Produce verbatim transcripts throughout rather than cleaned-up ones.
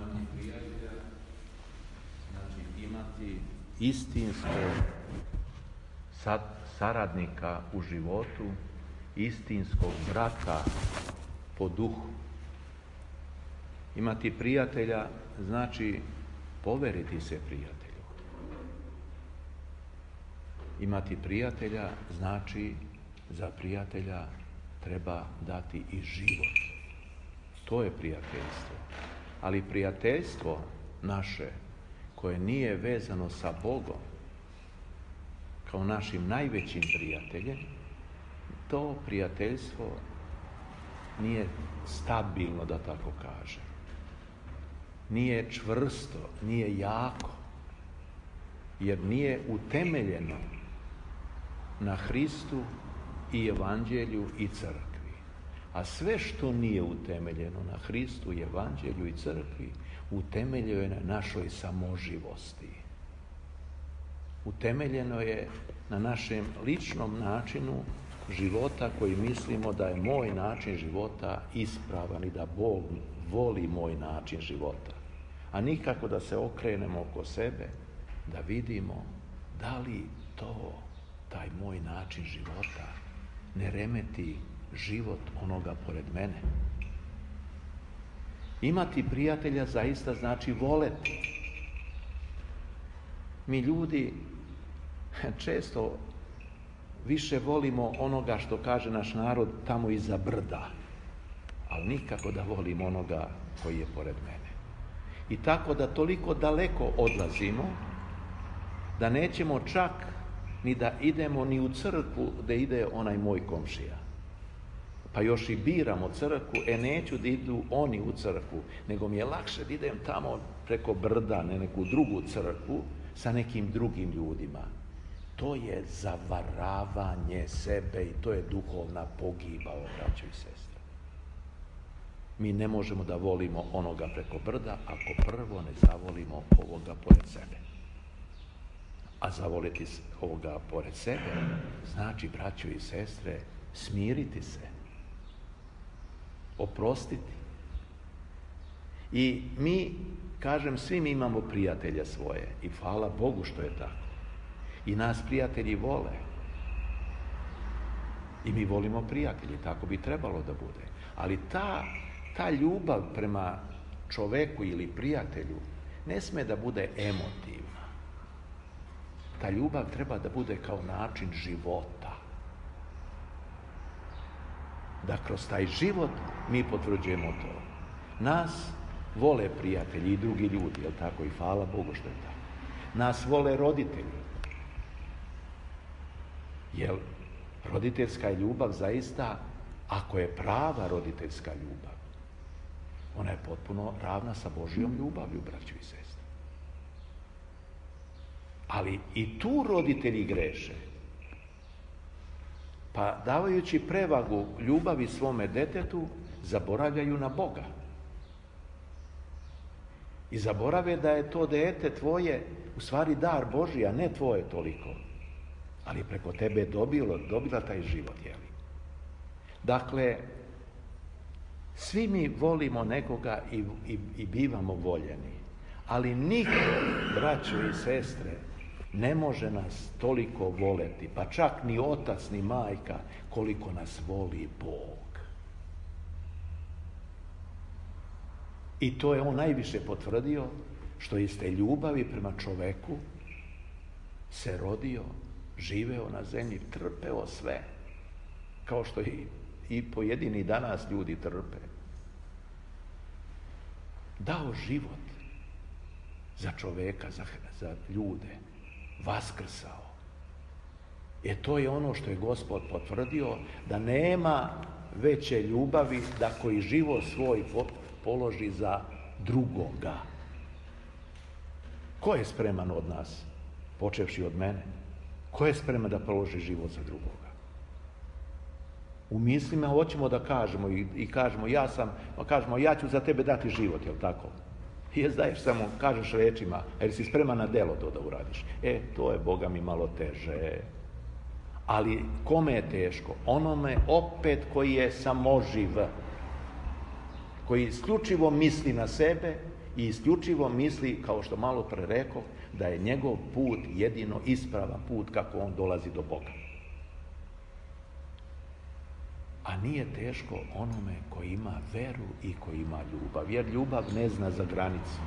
Imati prijatelja znači imati istinskog sad, saradnika u životu, istinskog brata po duhu. Imati prijatelja znači poveriti se prijatelju. Imati prijatelja znači za prijatelja treba dati i život. To je prijateljstvo. Ali prijateljstvo naše koje nije vezano sa Bogom kao našim najvećim prijateljem, to prijateljstvo nije stabilno, da tako kažem. Nije čvrsto, nije jako, jer nije utemeljeno na Hristu i Evanđelju i crkvi. A sve što nije utemeljeno na Hristu, Evanđelju i crkvi, utemeljeno je na našoj samoživosti. Utemeljeno je na našem ličnom načinu života koji mislimo da je moj način života ispravan i da Bog voli moj način života. A nikako da se okrenemo oko sebe, da vidimo da li to, taj moj način života, ne remeti život onoga pored mene. Imati prijatelja zaista znači voleti. Mi ljudi često više volimo onoga što kaže naš narod tamo iza brda, ali nikako da volimo onoga koji je pored mene. I tako da toliko daleko odlazimo da nećemo čak ni da idemo ni u crkvu da ide onaj moj komšija. Pa još i biramo crkvu, e neću da idu oni u crkvu, nego mi je lakše da idem tamo preko brda, ne neku drugu crkvu, sa nekim drugim ljudima. To je zavaravanje sebe i to je duhovna pogiba, braćo i sestre. Mi ne možemo da volimo onoga preko brda ako prvo ne zavolimo ovoga pored sebe. A zavoliti ovoga pored sebe znači, braćo i sestre, smiriti se, oprostiti. I mi, kažem, svi mi imamo prijatelja svoje i hvala Bogu što je tako. I nas prijatelji vole. I mi volimo prijatelji, tako bi trebalo da bude. Ali ta, ta ljubav prema čoveku ili prijatelju ne sme da bude emotivna. Ta ljubav treba da bude kao način života. Da kroz taj život mi potvrđujemo to. Nas vole prijatelji i drugi ljudi, jel tako? I hvala Bogu što je tako. Nas vole roditelji. Jer roditeljska ljubav zaista, ako je prava roditeljska ljubav, ona je potpuno ravna sa Božjom ljubavlju, braćo i sestre. Ali i tu roditelji greše. Pa davajući prevagu ljubavi svome detetu, zaboravljaju na Boga. I zaborave da je to dete tvoje u stvari dar Božji, a ne tvoje toliko. Ali preko tebe je dobilo, dobila taj život, jeli? Dakle, svi mi volimo nekoga i, i, i bivamo voljeni. Ali niko, braćo i sestre, ne može nas toliko voleti, pa čak ni otac, ni majka, koliko nas voli Bog. I to je on najviše potvrdio, što iz te ljubavi prema čoveku se rodio, živeo na zemlji, trpeo sve, kao što i, i pojedini danas ljudi trpe. Dao život za čoveka, za, za ljude, vaskrsao. E to je ono što je Gospod potvrdio, da nema veće ljubavi da koji život svoj položi za drugoga. Ko je spreman od nas, počevši od mene? Ko je spreman da položi život za drugoga? U mislima hoćemo da kažemo i, i kažemo ja sam, kažemo ja ću za tebe dati život, jel tako? I je daješ samo, kažeš rečima, jer si spreman na delo to da uradiš. E, to je, Boga mi, malo teže. Ali kome je teško? Onome opet koji je samoživ, koji isključivo misli na sebe i isključivo misli, kao što malo pre rekao, da je njegov put jedino ispravan put kako on dolazi do Boga. A nije teško onome koji ima veru i koji ima ljubav, jer ljubav ne zna za granicu.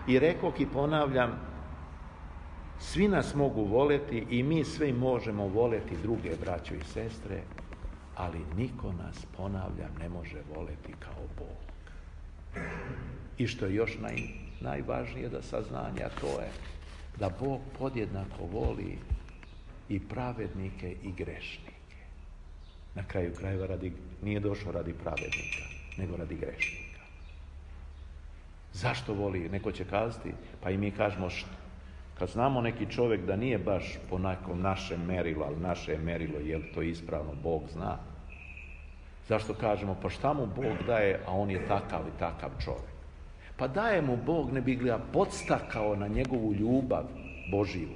I rekoh i ponavljam, svi nas mogu voleti i mi svi možemo voleti druge braćo i sestre, ali niko nas, ponavljam, ne može voleti kao Bog. I što je još naj, najvažnije da saznanje, a to je da Bog podjednako voli i pravednike i grešnike. Na kraju krajeva radi, nije došao radi pravednika, nego radi grešnika. Zašto voli? Neko će kazati, pa i mi kažemo što. Kad znamo neki čovjek da nije baš po nekom našem merilu, ali naše merilo, je li to ispravno, Bog zna. Zašto kažemo, pa šta mu Bog daje, a on je takav i takav čovjek? Pa daje mu Bog, ne bi ga podstakao na njegovu ljubav Božiju,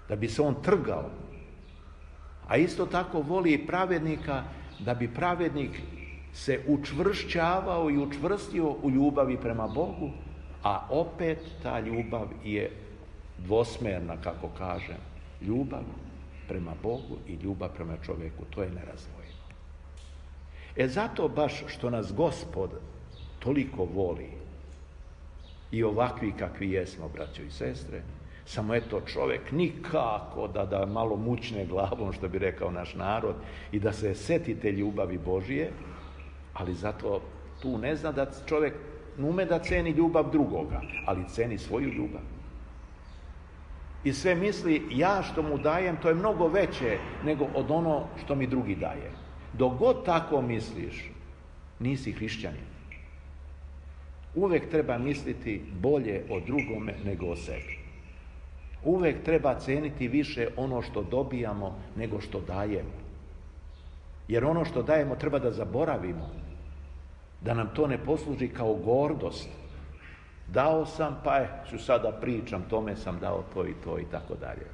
da bi se on trgao. A isto tako voli i pravednika, da bi pravednik se učvršćavao i učvrstio u ljubavi prema Bogu, a opet ta ljubav je dvosmerna, kako kažem. Ljubav prema Bogu i ljubav prema čovjeku, to je nerazdvojivo. E zato baš što nas Gospod toliko voli i ovakvi kakvi jesmo, braćo i sestre, samo eto čovjek nikako da, da malo mučne glavom, što bi rekao naš narod, i da se setite ljubavi Božije, ali zato tu ne zna da čovjek ume da ceni ljubav drugoga, ali ceni svoju ljubav. I sve misli, ja što mu dajem, to je mnogo veće nego od ono što mi drugi daje. Dok god tako misliš, nisi hrišćanin. Uvijek treba misliti bolje o drugome nego o sebi. Uvijek treba ceniti više ono što dobijamo nego što dajemo. Jer ono što dajemo treba da zaboravimo. Da nam to ne posluži kao gordost. Dao sam, pa je, ću sada pričam, tome sam dao to i to i tako dalje.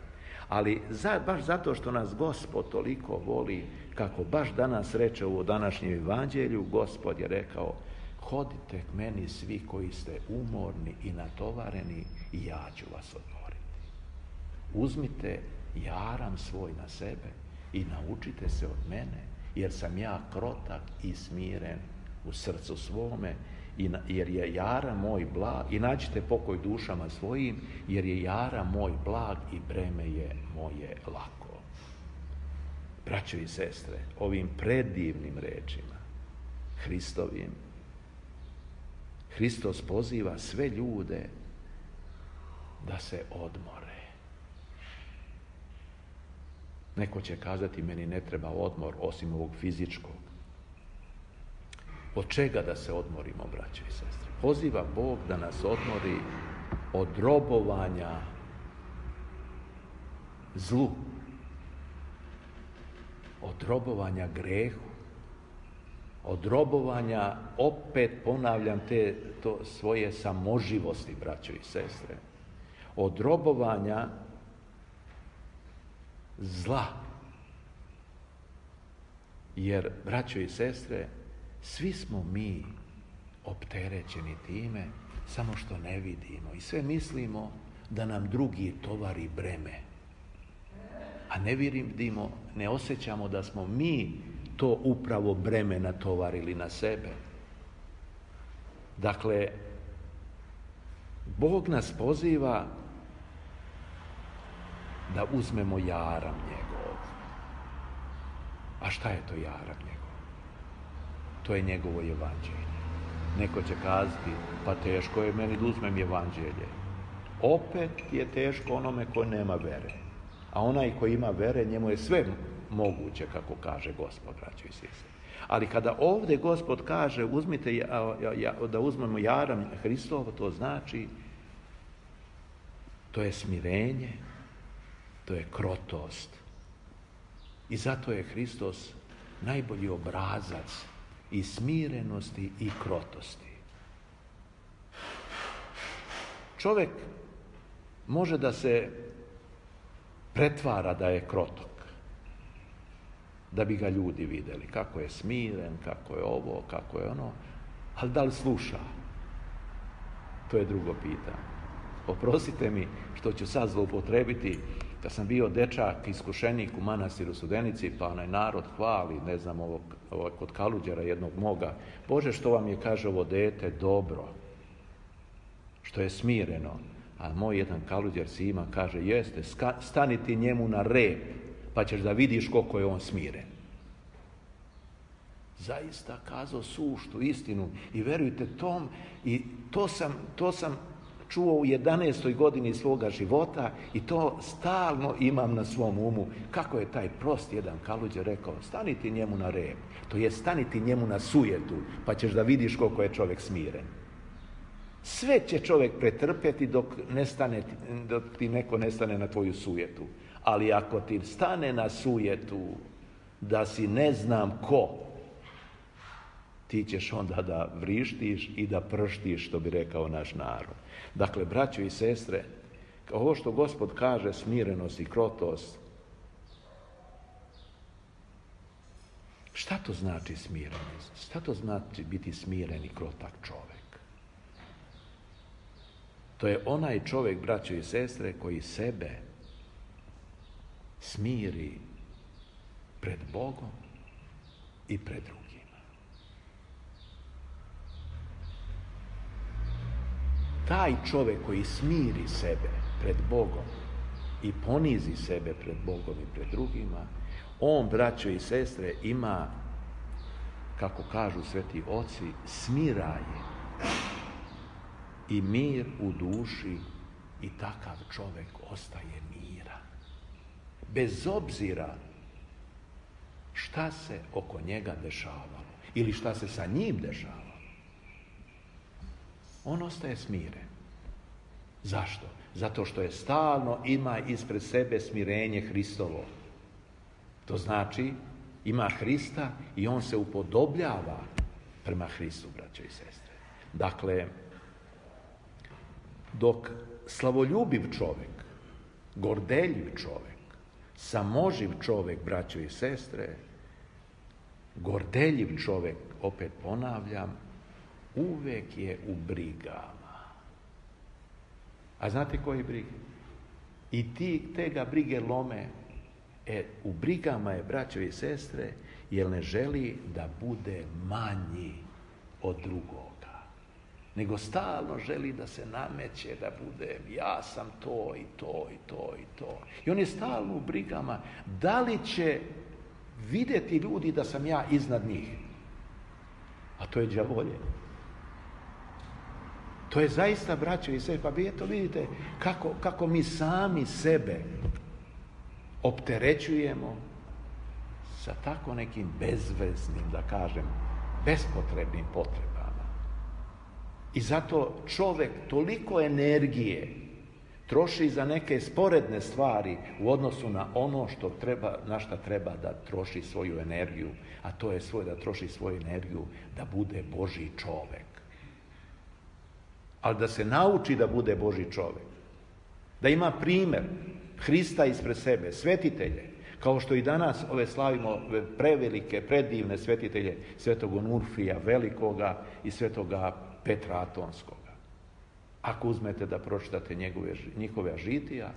Ali za, baš zato što nas Gospod toliko voli, kako baš danas reče u današnjem evanđelju, Gospod je rekao, hodite k meni svi koji ste umorni i natovareni i ja ću vas odmoriti. Uzmite jaram svoj na sebe i naučite se od mene, jer sam ja krotak i smiren u srcu svome, jer je jara moj blag, i nađite pokoj dušama svojim, jer je jara moj blag i breme je moje lako. Braćo i sestre, ovim predivnim rečima, Hristovim, Hristos poziva sve ljude da se odmore. Neko će kazati, meni ne treba odmor osim ovog fizičkog. Od čega da se odmorimo, braćo i sestre? Poziva Bog da nas odmori od robovanja zlu, od robovanja grehu, od robovanja, opet ponavljam, te to svoje samoživosti, braćo i sestre, od robovanja zla. Jer, braćo i sestre, svi smo mi opterećeni time, samo što ne vidimo i sve mislimo da nam drugi tovari breme. A ne vidimo, ne osjećamo da smo mi to upravo breme natovarili na sebe. Dakle, Bog nas poziva da uzmemo jaram njegov. A šta je to jaram njegov? To je njegovo evanđelje. Neko će kazati, pa teško je meni da uzmem evanđelje. Opet je teško onome ko nema vere. A onaj ko ima vere, njemu je sve moguće, kako kaže Gospod, braćo i sestre. Ali kada ovdje Gospod kaže, uzmite, da uzmemo jaram Hristovo, to znači, to je smirenje, to je krotost. I zato je Hristos najbolji obrazac i smirenosti i krotosti. Čovjek može da se pretvara da je krotok, da bi ga ljudi vidjeli kako je smiren, kako je ovo, kako je ono, ali da li sluša? To je drugo pitanje. Oprostite mi što ću sad zloupotrebiti, kad sam bio dečak, iskušenik u manastiru Studenici, pa onaj narod hvali, ne znam, ovog, ovog kod Kaluđera jednog moga, Bože, što vam je, kaže, ovo dete dobro, što je smireno. A moj jedan Kaluđer Sima kaže, jeste, stani ti njemu na rep, pa ćeš da vidiš koliko je on smiren. Zaista kazao suštu istinu i verujte tom, i to sam, to sam čuo u jedanaestoj godini svoga života i to stalno imam na svom umu. Kako je taj prost jedan Kaluđer rekao, stani ti njemu na rep, to je stani ti njemu na sujetu, pa ćeš da vidiš koliko je čovjek smiren. Sve će čovjek pretrpjeti dok, ne stane, dok ti neko ne stane na tvoju sujetu. Ali ako ti stane na sujetu da si ne znam ko, ti ćeš onda da vrištiš i da prštiš, što bi rekao naš narod. Dakle, braćo i sestre, ovo što Gospod kaže, smirenost i krotost, šta to znači smirenost? Šta to znači biti smiren i krotak čovjek? To je onaj čovjek, braćo i sestre, koji sebe smiri pred Bogom i pred drugima. Taj čovjek koji smiri sebe pred Bogom i ponizi sebe pred Bogom i pred drugima, on, braćo i sestre, ima, kako kažu sveti oci, smiraje i mir u duši i takav čovjek ostaje miran. Bez obzira šta se oko njega dešavalo ili šta se sa njim dešavalo. On ostaje smiren. Zašto? Zato što je stalno ima ispred sebe smirenje Hristovo. To znači ima Hrista i on se upodobljava prema Hristu, braćo i sestre. Dakle, dok slavoljubiv čovjek, gordeljiv čovjek, samoživ čovjek, braćo i sestre, gordeljiv čovjek, opet ponavljam, uvek je u brigama. A znate koji brige? I ti, te ga brige lome. E, u brigama je, braćo i sestre, jer ne želi da bude manji od drugoga. Nego stalno želi da se nameće, da bude, ja sam to i to i to i to. I on je stalno u brigama. Da li će vidjeti ljudi da sam ja iznad njih? A to je đavolje. To je zaista, braćo i sestre, pa vi eto vidite kako, kako mi sami sebe opterećujemo sa tako nekim bezveznim, da kažem, bespotrebnim potrebama. I zato čovjek toliko energije troši za neke sporedne stvari u odnosu na ono što treba, na šta treba da troši svoju energiju, a to je svoj, da troši svoju energiju da bude Božji čovjek. Ali da se nauči da bude Božji čovjek. Da ima primjer Hrista ispred sebe, svetitelje, kao što i danas ove slavimo prevelike, predivne svetitelje, svetog Onufrija Velikoga i svetoga Petra Atonskoga. Ako uzmete da pročitate njegove, njihove žitija,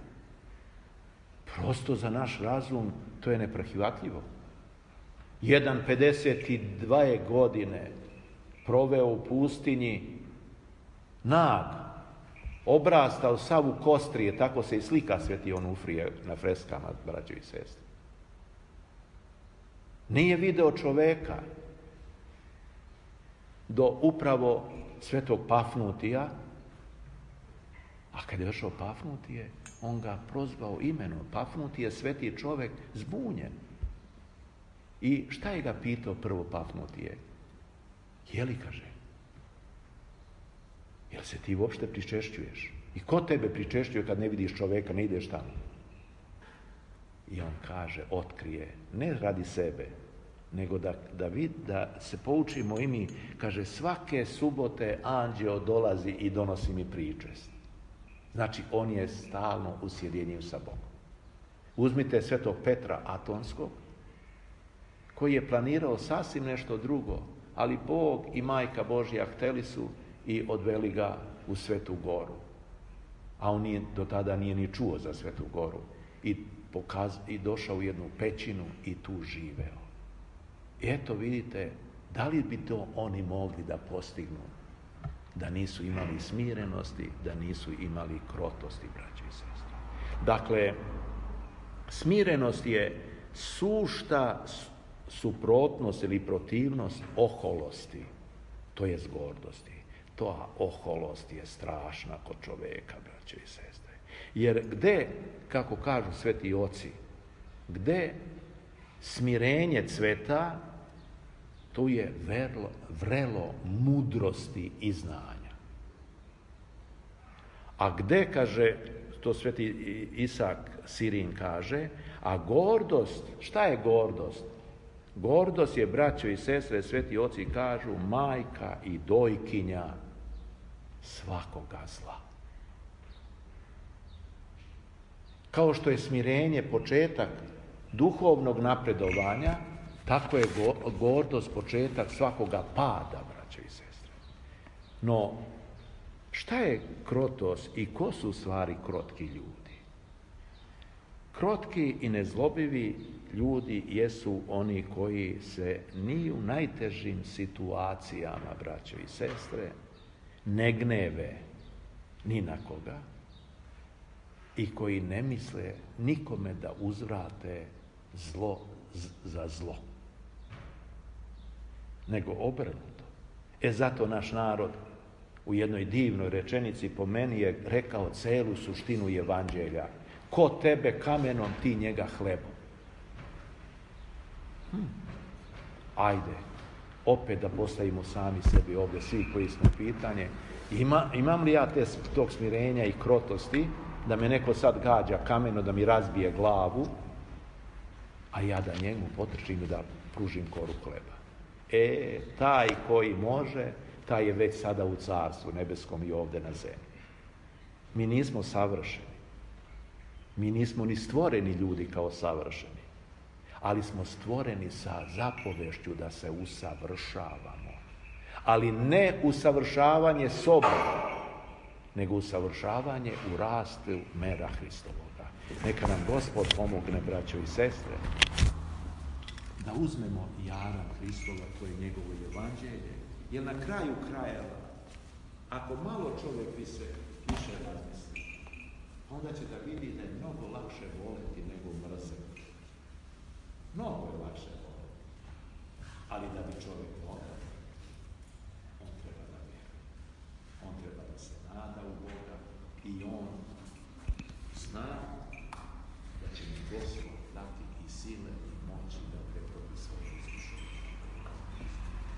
prosto za naš razum to je neprihvatljivo. Jedan pedeset dvije godine proveo u pustinji, nag, obrastao sav u kostrije, tako se i slika sveti Onufrije na freskama, braćo i sestre. Nije video čoveka do upravo svetog Pafnutija, a kad je došao Pafnutije, on ga prozvao imenom. Pafnutije je sveti čovek, zbunjen. I šta je ga pitao prvo Pafnutije? Je li, kaže, jel se ti uopšte pričešćuješ? I ko tebe pričešćuje kad ne vidiš čoveka, ne ideš tamo? I on kaže, otkrije, ne radi sebe, nego da, da, vid, da se poučimo i mi, kaže, svake subote anđeo dolazi i donosi mi pričest. Znači, on je stalno u sjedinjenju sa Bogom. Uzmite svetog Petra Atonskog, koji je planirao sasvim nešto drugo, ali Bog i Majka Božja hteli su i odveli ga u Svetu Goru. A on nije, do tada nije ni čuo za Svetu Goru. I, pokaz, i došao u jednu pećinu i tu živeo. I eto vidite, da li bi to oni mogli da postignu da nisu imali smirenosti, da nisu imali krotosti, braće i sestre. Dakle, smirenost je sušta suprotnost ili protivnost oholosti, to je gordosti. To oholost je strašna kod čoveka, braće i sestre. Jer gde, kako kažu sveti oci, gde smirenje cveta, tu je vrelo, vrelo mudrosti i znanja. A gde, kaže, to sveti Isak Sirin kaže, a gordost, šta je gordost? Gordost je, braćo i sestre, sveti oci kažu, majka i dojkinja svakoga zla. Kao što je smirenje početak duhovnog napredovanja, tako je gordost početak svakoga pada, braćo i sestre. No, šta je krotost i ko su u stvari krotki ljudi? Krotki i nezlobivi ljudi jesu oni koji se ni u najtežim situacijama, braćo i sestre, ne gneve ni na koga i koji ne misle nikome da uzvrate zlo za zlo, nego obrnuto. E zato naš narod u jednoj divnoj rečenici po meni je rekao celu suštinu evanđelja. Ko tebe kamenom, ti njega hlebom. Hm. Ajde, opet da postavimo sami sebi ovdje, svi koji smo pitanje, ima, imam li ja te, tog smirenja i krotosti, da me neko sad gađa kameno, da mi razbije glavu, a ja da njemu potrčim i da pružim koru hleba. E, taj koji može, taj je već sada u carstvu nebeskom i ovdje na zemlji. Mi nismo savršeni. Mi nismo ni stvoreni ljudi kao savršeni. Ali smo stvoreni sa zapovešću da se usavršavamo. Ali ne usavršavanje sobom, nego usavršavanje u rastu mera Hristovoga. Neka nam Gospod pomogne, braćo i sestre, da uzmemo jara Hristova, to je njegovo evanđelje, jer na kraju krajeva, ako malo čovjek više, više razmisli, onda će da vidi da je mnogo lakše voleti nego mrzeti. Mnogo je lakše voleti. Ali da bi čovjek volio,